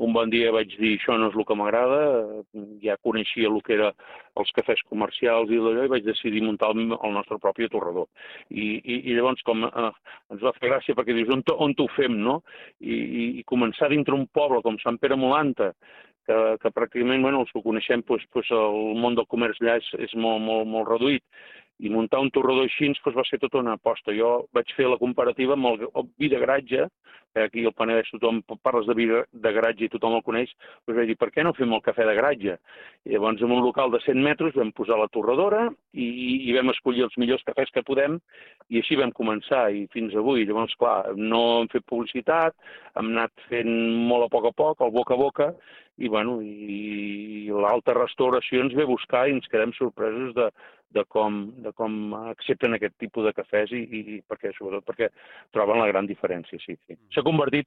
un bon dia vaig dir això no és el que m'agrada, ja coneixia el que eren els cafès comercials i d'allò i vaig decidir muntar el nostre propi torrador. I llavors com ens va fer gràcia perquè dius on ho fem, no? I començar dintre un poble com Sant Pere Molanta, que pràcticament, els que coneixem, el món del comerç allà és molt reduït, i muntar un torrador així va ser tota una aposta. Jo vaig fer la comparativa amb el vi de garatge, aquí al Penedès tothom parles de vi de garatge i tothom el coneix, doncs vaig dir, per què no fem el cafè de garatge? I llavors en un local de 100 metres vam posar la torradora i vam escollir els millors cafès que podem i així vam començar i fins avui. Llavors, clar, no hem fet publicitat, hem anat fent molt a poc, el boca a boca, i l'alta restauració ens ve a buscar i ens quedem sorpresos de com accepten aquest tipus de cafès i sobretot perquè troben la gran diferència, sí. S'ha convertit,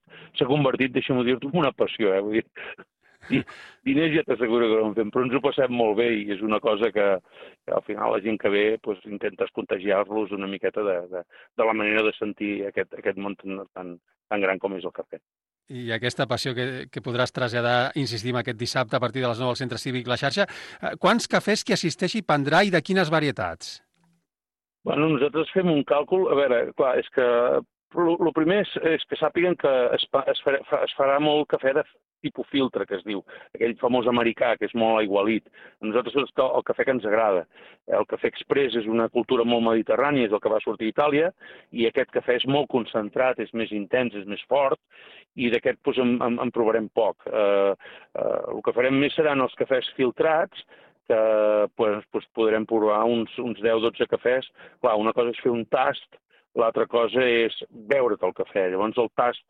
deixa'm dir-t'ho, en una passió, Vull dir, diners ja t'asseguro que no en fem, però ens ho passem molt bé i és una cosa que al final la gent que ve intentes contagiar-los una miqueta de la manera de sentir aquest món tan gran com és el cafè.
I aquesta passió que podràs traslladar, insistim, aquest dissabte a partir de les 9 al Centre Cívic La Xarxa. Quants cafès que assisteixi prendrà i de quines varietats?
Nosaltres fem un càlcul. A veure, clar, és que el primer és que sàpiguen que es farà molt cafè de tipus filtre, que es diu, aquell famós americà, que és molt aigualit. A nosaltres és el cafè que ens agrada. El cafè express és una cultura molt mediterrània, és el que va sortir d'Itàlia, i aquest cafè és molt concentrat, és més intens, és més fort, i d'aquest en provarem poc. El que farem més seran els cafès filtrats, que podrem provar uns 10-12 cafès. Clar, una cosa és fer un tast, l'altra cosa és beure't el cafè. Llavors el tast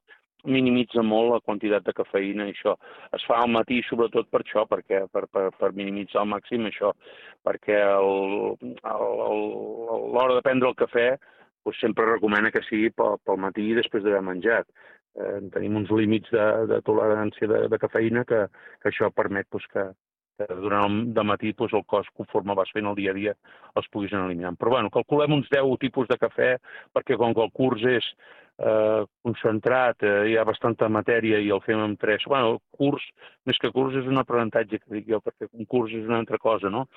minimitza molt la quantitat de cafeïna i això. Es fa al matí sobretot per això, per minimitzar al màxim això, perquè a l'hora de prendre el cafè sempre recomana que sigui pel matí després d'haver menjat. tenim uns límits de tolerància de cafeïna que això permet que durant el dematí el cos, conforme vas fent el dia a dia, els puguis anar eliminant. Però bueno, calculem uns 10 tipus de cafè, perquè com que el curs és concentrat, hi ha bastanta matèria i el fem amb 3. Bueno, el curs, més que curs, és un aprenentatge, que dic jo, perquè un curs és una altra cosa, no?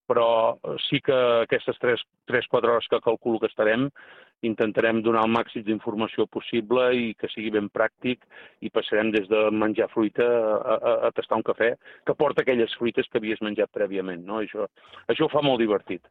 Però sí que aquestes 3-4 hores que calculo que estarem, intentarem donar el màxim d'informació possible i que sigui ben pràctic, i passarem des de menjar fruita a tastar un cafè que porta aquelles fruites que havies menjat prèviament, no? Això ho fa molt divertit.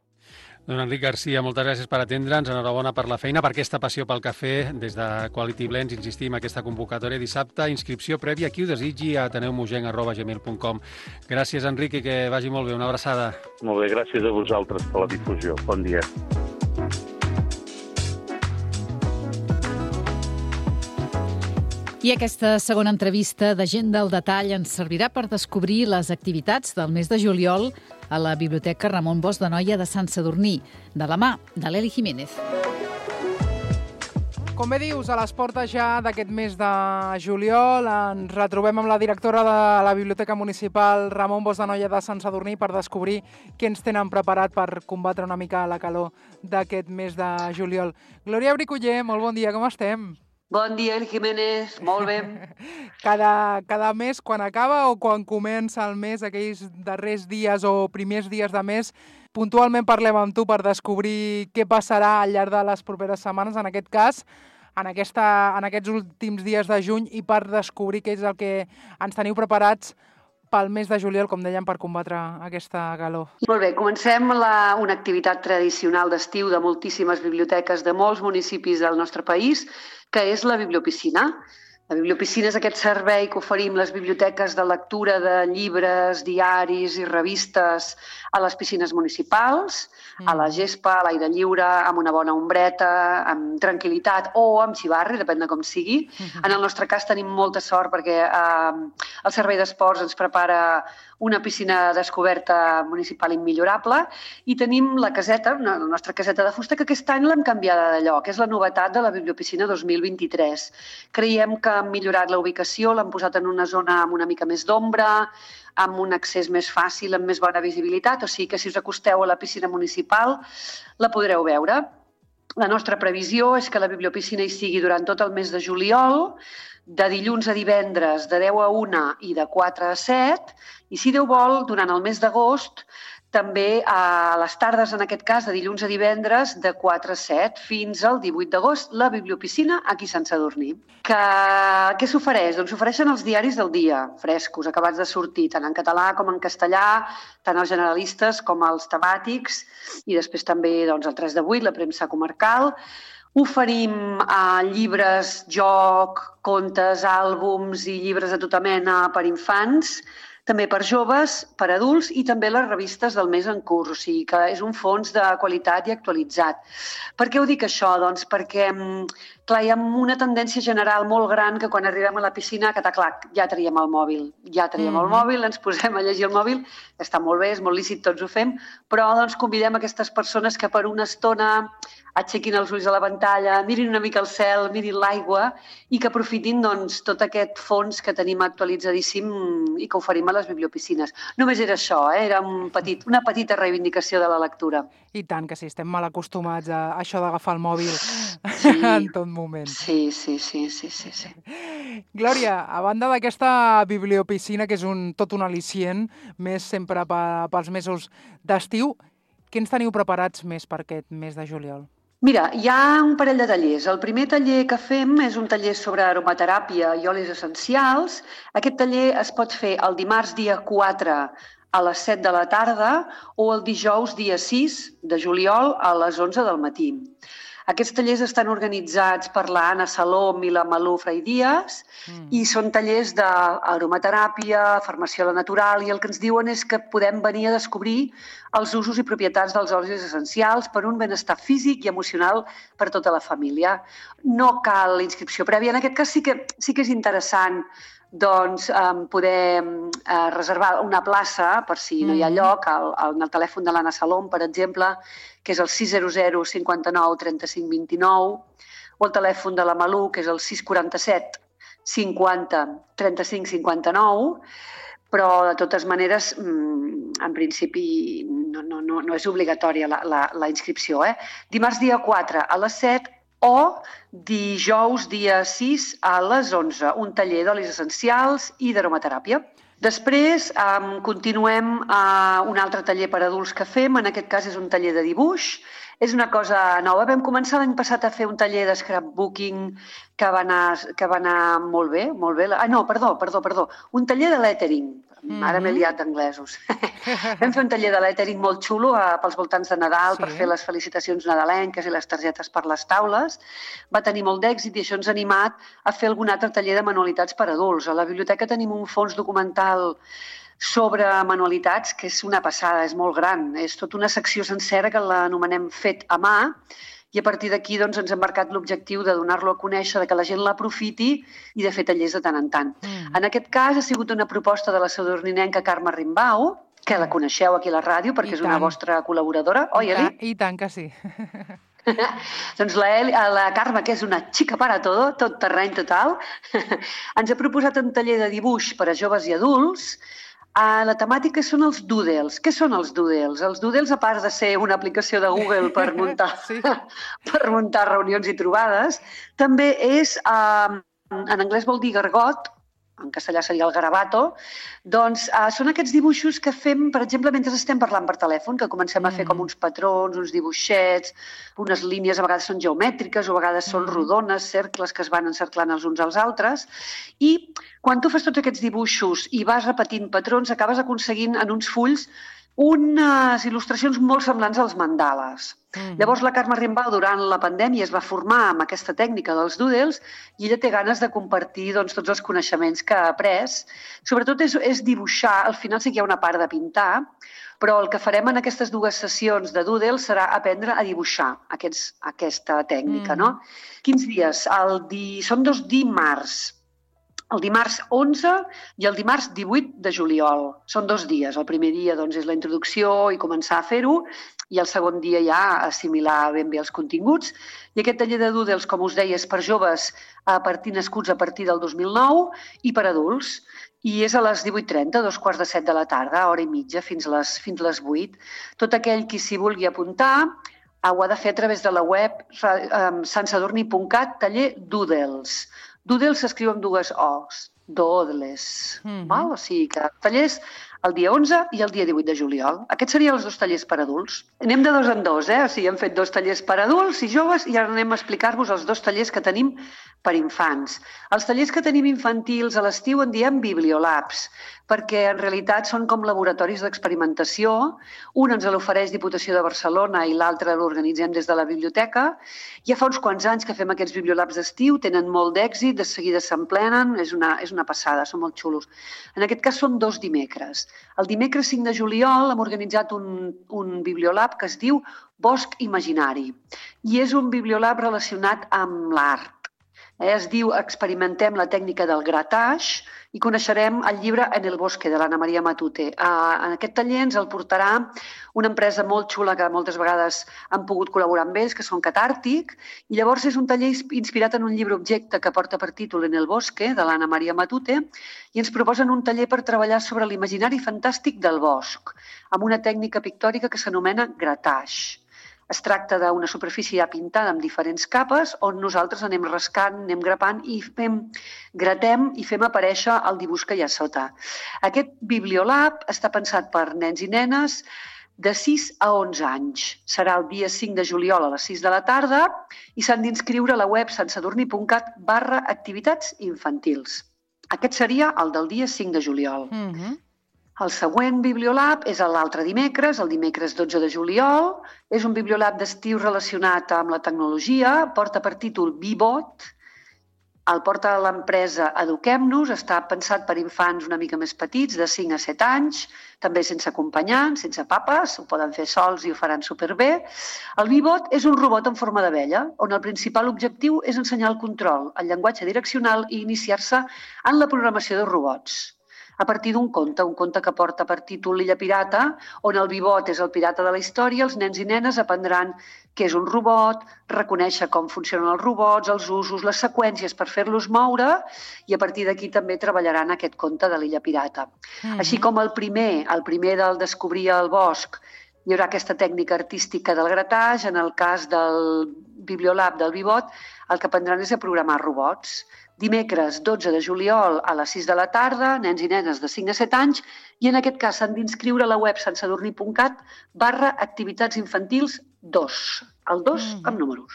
Don Enric Garcia, moltes gràcies per atendre'ns, enhorabona per la feina, per aquesta passió pel cafè. Des de Quality Blends insistim, aquesta convocatòria dissabte, inscripció prèvia, qui ho desitgi, a ateneumugenc@gmail.com. Gràcies, Enric, i que vagi molt bé. Una abraçada.
Molt bé, gràcies a vosaltres per la difusió. Bon dia.
I aquesta segona entrevista de Gent del Detall ens servirà per descobrir les activitats del mes de juliol a la Biblioteca Ramon Bosch de Noia de Sant Sadurní, de la mà de l'Eli Jiménez.
Com bé dius, a les portes ja d'aquest mes de juliol ens retrobem amb la directora de la Biblioteca Municipal Ramon Bosch de Noia de Sant Sadurní per descobrir què ens tenen preparat per combatre una mica la calor d'aquest mes de juliol. Glòria Briculler, molt bon dia, com estem?
Bon dia, El Jiménez, molt bé.
Cada mes, quan acaba o quan comença el mes, aquells darrers dies o primers dies de mes, puntualment parlem amb tu per descobrir què passarà al llarg de les properes setmanes, en aquest cas, en aquests últims dies de juny, i per descobrir què és el que ens teniu preparats pel mes de juliol, com dèiem, per combatre aquesta calor.
Molt bé, comencem una activitat tradicional d'estiu de moltíssimes biblioteques de molts municipis del nostre país, que és la bibliopiscina. La bibliopiscina és aquest servei que oferim les biblioteques de lectura de llibres, diaris i revistes a les piscines municipals, a la gespa, a l'aire lliure, amb una bona ombreta, amb tranquil·litat o amb xivarri, depèn de com sigui. En el nostre cas tenim molta sort perquè el Servei d'Esports ens prepara una piscina descoberta municipal immillorable i tenim la caseta, la nostra caseta de fusta, que aquest any l'hem canviada de lloc. És la novetat de la bibliopiscina 2023. Creiem que han millorat la ubicació, l'han posat en una zona amb una mica més d'ombra, amb un accés més fàcil, amb més bona visibilitat, o sigui que si us acosteu a la piscina municipal la podreu veure. La nostra previsió és que la bibliopiscina hi sigui durant tot el mes de juliol, de dilluns a divendres de 10 a 1 i de 4 a 7, i si Déu vol, durant el mes d'agost, també a les tardes, en aquest cas, de dilluns a divendres, de 4 a 7, fins al 18 d'agost, la bibliopiscina aquí a Sant Sadurní. Què s'ofereix? Doncs s'ofereixen els diaris del dia, frescos, acabats de sortir, tant en català com en castellà, tant els generalistes com els temàtics, i després també el 3 de 8, la premsa comarcal. Oferim llibres, joc, contes, àlbums i llibres de tota mena per infants, també per joves, per adults i també les revistes del mes en curs, o sigui que és un fons de qualitat i actualitzat. Per què ho dic això? Doncs perquè clar, hi ha una tendència general molt gran que quan arribem a la piscina, ja traiem el mòbil. Ja traiem el mòbil, ens posem a llegir el mòbil, està molt bé, és molt lícit, tots ho fem, però doncs convidem aquestes persones que per una estona aixequin els ulls a la pantalla, mirin una mica el cel, mirin l'aigua i que aprofitin tot aquest fons que tenim actualitzadíssim i que oferim a les bibliopiscines. Només era això, era una petita reivindicació de la lectura.
I tant, que sí, estem mal acostumats a això d'agafar el mòbil en tot moment.
Sí.
Glòria, a banda d'aquesta bibliopiscina, que és tot un al·licient, més sempre pels mesos d'estiu, què ens teniu preparats més per aquest mes de juliol?
Mira, hi ha un parell de tallers. El primer taller que fem és un taller sobre aromateràpia i olis essencials. Aquest taller es pot fer el dimarts dia 4 a les 7 de la tarda o el dijous dia 6 de juliol a les 11 del matí. Aquests tallers estan organitzats per la Anna Salom i la Malú Fraidías i són tallers d'aromateràpia, farmaciola natural, i el que ens diuen és que podem venir a descobrir els usos i propietats dels olis essencials per un benestar físic i emocional per tota la família. No cal inscripció prèvia. En aquest cas sí que és interessant poder reservar una plaça per si no hi ha lloc en el telèfon de l'Anna Salom, per exemple, que és el 600 59 35 29, o el telèfon de la Malú, que és el 647 50 35 59, però de totes maneres, en principi, no és obligatòria la inscripció. Dimarts dia 4 a les 7 o dijous dia 6 a les 11, un taller d'olis essencials i d'aromateràpia. Després continuem un altre taller per adults que fem, en aquest cas és un taller de dibuix. És una cosa nova. Vam començar l'any passat a fer un taller de scrapbooking que va anar molt bé. No, perdó. Un taller de lettering. Ara m'he liat d'anglesos. Vam fer un taller de lettering molt xulo pels voltants de Nadal per fer les felicitacions nadalenques i les targetes per les taules. Va tenir molt d'èxit i això ens ha animat a fer algun altre taller de manualitats per adults. A la biblioteca tenim un fons documental sobre manualitats, que és una passada, és molt gran. És tota una secció sencera que l'anomenem Fet a mà, i a partir d'aquí ens hem marcat l'objectiu de donar-lo a conèixer, que la gent l'aprofiti i de fer tallers de tant en tant. En aquest cas ha sigut una proposta de la sadurninenca Carme Rimbau, que la coneixeu aquí a la ràdio perquè és una vostra col·laboradora. Oi, Eli?
I tant que sí.
Doncs la Carme, que és una xica para todo, tot terreny total, ens ha proposat un taller de dibuix per a joves i adults. La temàtica són els doodles. Què són els doodles? Els doodles, a part de ser una aplicació de Google per muntar reunions i trobades, també és, en anglès vol dir gargot, en castellà seria el garabato, doncs són aquests dibuixos que fem, per exemple, mentre estem parlant per telèfon, que comencem a fer com uns patrons, uns dibuixets, unes línies, a vegades són geomètriques, o a vegades són rodones, cercles que es van encerclant els uns als altres, i quan tu fas tots aquests dibuixos i vas repetint patrons, acabes aconseguint en uns fulls unes il·lustracions molt semblants als mandales. Llavors la Carme Rimbau durant la pandèmia es va formar amb aquesta tècnica dels doodles i ella té ganes de compartir tots els coneixements que ha après. Sobretot és dibuixar, al final sí que hi ha una part de pintar, però el que farem en aquestes dues sessions de doodles serà aprendre a dibuixar aquesta tècnica. Quins dies? Són 2 dimarts. El dimarts 11 i el dimarts 18 de juliol. Són 2 dies. El primer dia és la introducció i començar a fer-ho, i el segon dia ja assimilar ben bé els continguts. I aquest taller de doodles, com us deia, és per joves nascuts a partir del 2009 i per adults. I és a les 18:30, 7:15 de la tarda, hora i mitja, fins les 8. Tot aquell qui s'hi vulgui apuntar ho ha de fer a través de la web santsadurni.cat, taller doodles. Doodles s'escriu amb 2 O's, doodles. O sigui que tallers el dia 11 i el dia 18 de juliol. Aquests serien els 2 tallers per adults. Anem de 2 en 2, O sigui, hem fet 2 tallers per adults i joves i ara anem a explicar-vos els 2 tallers que tenim per infants. Els tallers que tenim infantils a l'estiu en diem bibliolabs, perquè en realitat són com laboratoris d'experimentació. Un ens l'ofereix Diputació de Barcelona i l'altre l'organitzem des de la biblioteca. Ja fa uns quants anys que fem aquests bibliolabs d'estiu, tenen molt d'èxit, de seguida s'emplenen, és una passada, són molt xulos. En aquest cas són 2 dimecres. El dimecres 5 de juliol hem organitzat un bibliolab que es diu Bosc Imaginari i és un bibliolab relacionat amb l'art. Es diu Experimentem la tècnica del gratage i coneixerem el llibre En el bosque, de l'Anna Maria Matute. En aquest taller ens el portarà una empresa molt xula que moltes vegades han pogut col·laborar amb ells, que són Catàrtic, i llavors és un taller inspirat en un llibre objecte que porta per títol En el bosque, de l'Anna Maria Matute, i ens proposen un taller per treballar sobre l'imaginari fantàstic del bosc, amb una tècnica pictòrica que s'anomena gratage. Es tracta d'una superfície ja pintada amb diferents capes on nosaltres anem rascant, anem grapant i gratem i fem aparèixer el dibuix que hi ha sota. Aquest bibliolab està pensat per nens i nenes de 6 a 11 anys. Serà el dia 5 de juliol a les 6 de la tarda i s'han d'inscriure a la web santsadurni.cat/activitats infantils. Aquest seria el del dia 5 de juliol. El següent bibliolab és l'altre dimecres, el dimecres 12 de juliol. És un bibliolab d'estiu relacionat amb la tecnologia, porta per títol Bibot, el porta l'empresa Eduquem-nos, està pensat per infants una mica més petits, de 5 a 7 anys, també sense acompanyants, sense papes, ho poden fer sols i ho faran superbé. El Bibot és un robot en forma d'abella, on el principal objectiu és ensenyar el control, el llenguatge direccional i iniciar-se en la programació de robots. a partir d'un conte que porta per títol L'Illa Pirata, on el Vivot és el pirata de la història. Els nens i nenes aprendran què és un robot, reconèixer com funcionen els robots, els usos, les seqüències per fer-los moure, i a partir d'aquí també treballaran aquest conte de l'Illa Pirata. Així com el primer del Descobrir el bosc, hi haurà aquesta tècnica artística del gratatge. En el cas del Bibliolab del Vivot, el que aprendran és a programar robots. Dimecres 12 de juliol a les 6 de la tarda, nens i nenes de 5 a 7 anys, i en aquest cas s'han d'inscriure a la web santsadurní.cat/activitats infantils 2. El 2 amb números.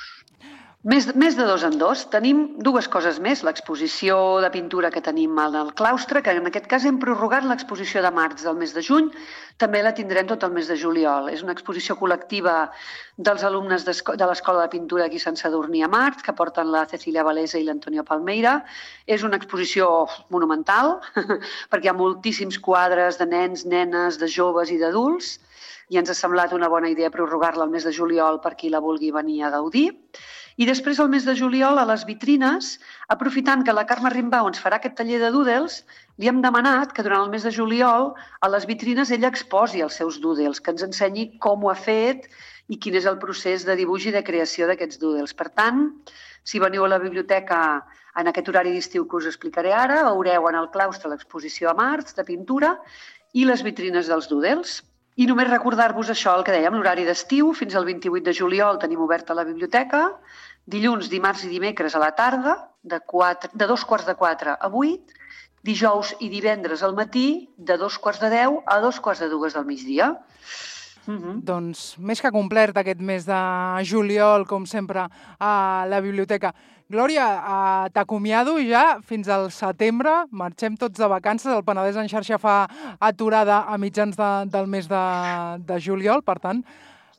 Més de 2 en 2. Tenim dues coses més. L'exposició de pintura que tenim al claustre, que en aquest cas hem prorrogat l'exposició de març del mes de juny, també la tindrem tot el mes de juliol. És una exposició col·lectiva dels alumnes de l'Escola de Pintura aquí a Sant Sadurní a Març, que porten la Cecilia Valesa i l'Antonio Palmeira. És una exposició monumental, perquè hi ha moltíssims quadres de nens, nenes, de joves i d'adults, i ens ha semblat una bona idea prorrogar-la al mes de juliol per qui la vulgui venir a gaudir. I després, al mes de juliol, a les vitrines, aprofitant que la Carme Rimbau ens farà aquest taller de doodles, li hem demanat que durant el mes de juliol a les vitrines ella exposi els seus doodles, que ens ensenyi com ho ha fet i quin és el procés de dibuix i de creació d'aquests doodles. Per tant, si veniu a la biblioteca en aquest horari d'estiu que us explicaré ara, veureu en el claustre l'exposició a març de pintura i les vitrines dels doodles. I només recordar-vos això, el que dèiem, l'horari d'estiu, fins al 28 de juliol tenim oberta la biblioteca, dilluns, dimarts i dimecres a la tarda, de 2:45 a 8, dijous i divendres al matí, de 2:45 a 2:45 del migdia.
Doncs més que complert aquest mes de juliol, com sempre, a la biblioteca. Glòria, t'acomiado ja fins al setembre. Marxem tots de vacances. El Penedès en xarxa fa aturada a mitjans del mes de juliol. Per tant,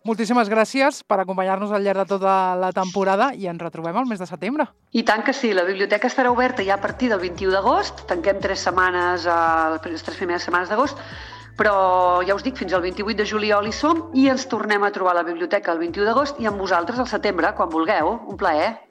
moltíssimes gràcies per acompanyar-nos al llarg de tota la temporada i ens retrobem al mes de setembre.
I tant que sí. La biblioteca estarà oberta ja a partir del 21 d'agost. Tanquem 3 setmanes, les 3 primeres setmanes d'agost. Però ja us dic, fins al 28 de juliol hi som i ens tornem a trobar a la biblioteca el 21 d'agost i amb vosaltres al setembre, quan vulgueu. Un plaer.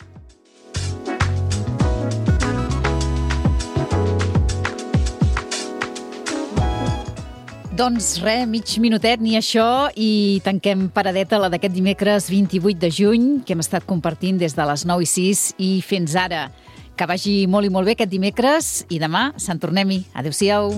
Doncs res, mig minutet ni això i tanquem paradeta la d'aquest dimecres 28 de juny que hem estat compartint des de les 9:06 i fins ara. Que vagi molt i molt bé aquest dimecres i demà se'n tornem-hi. Adéu-siau.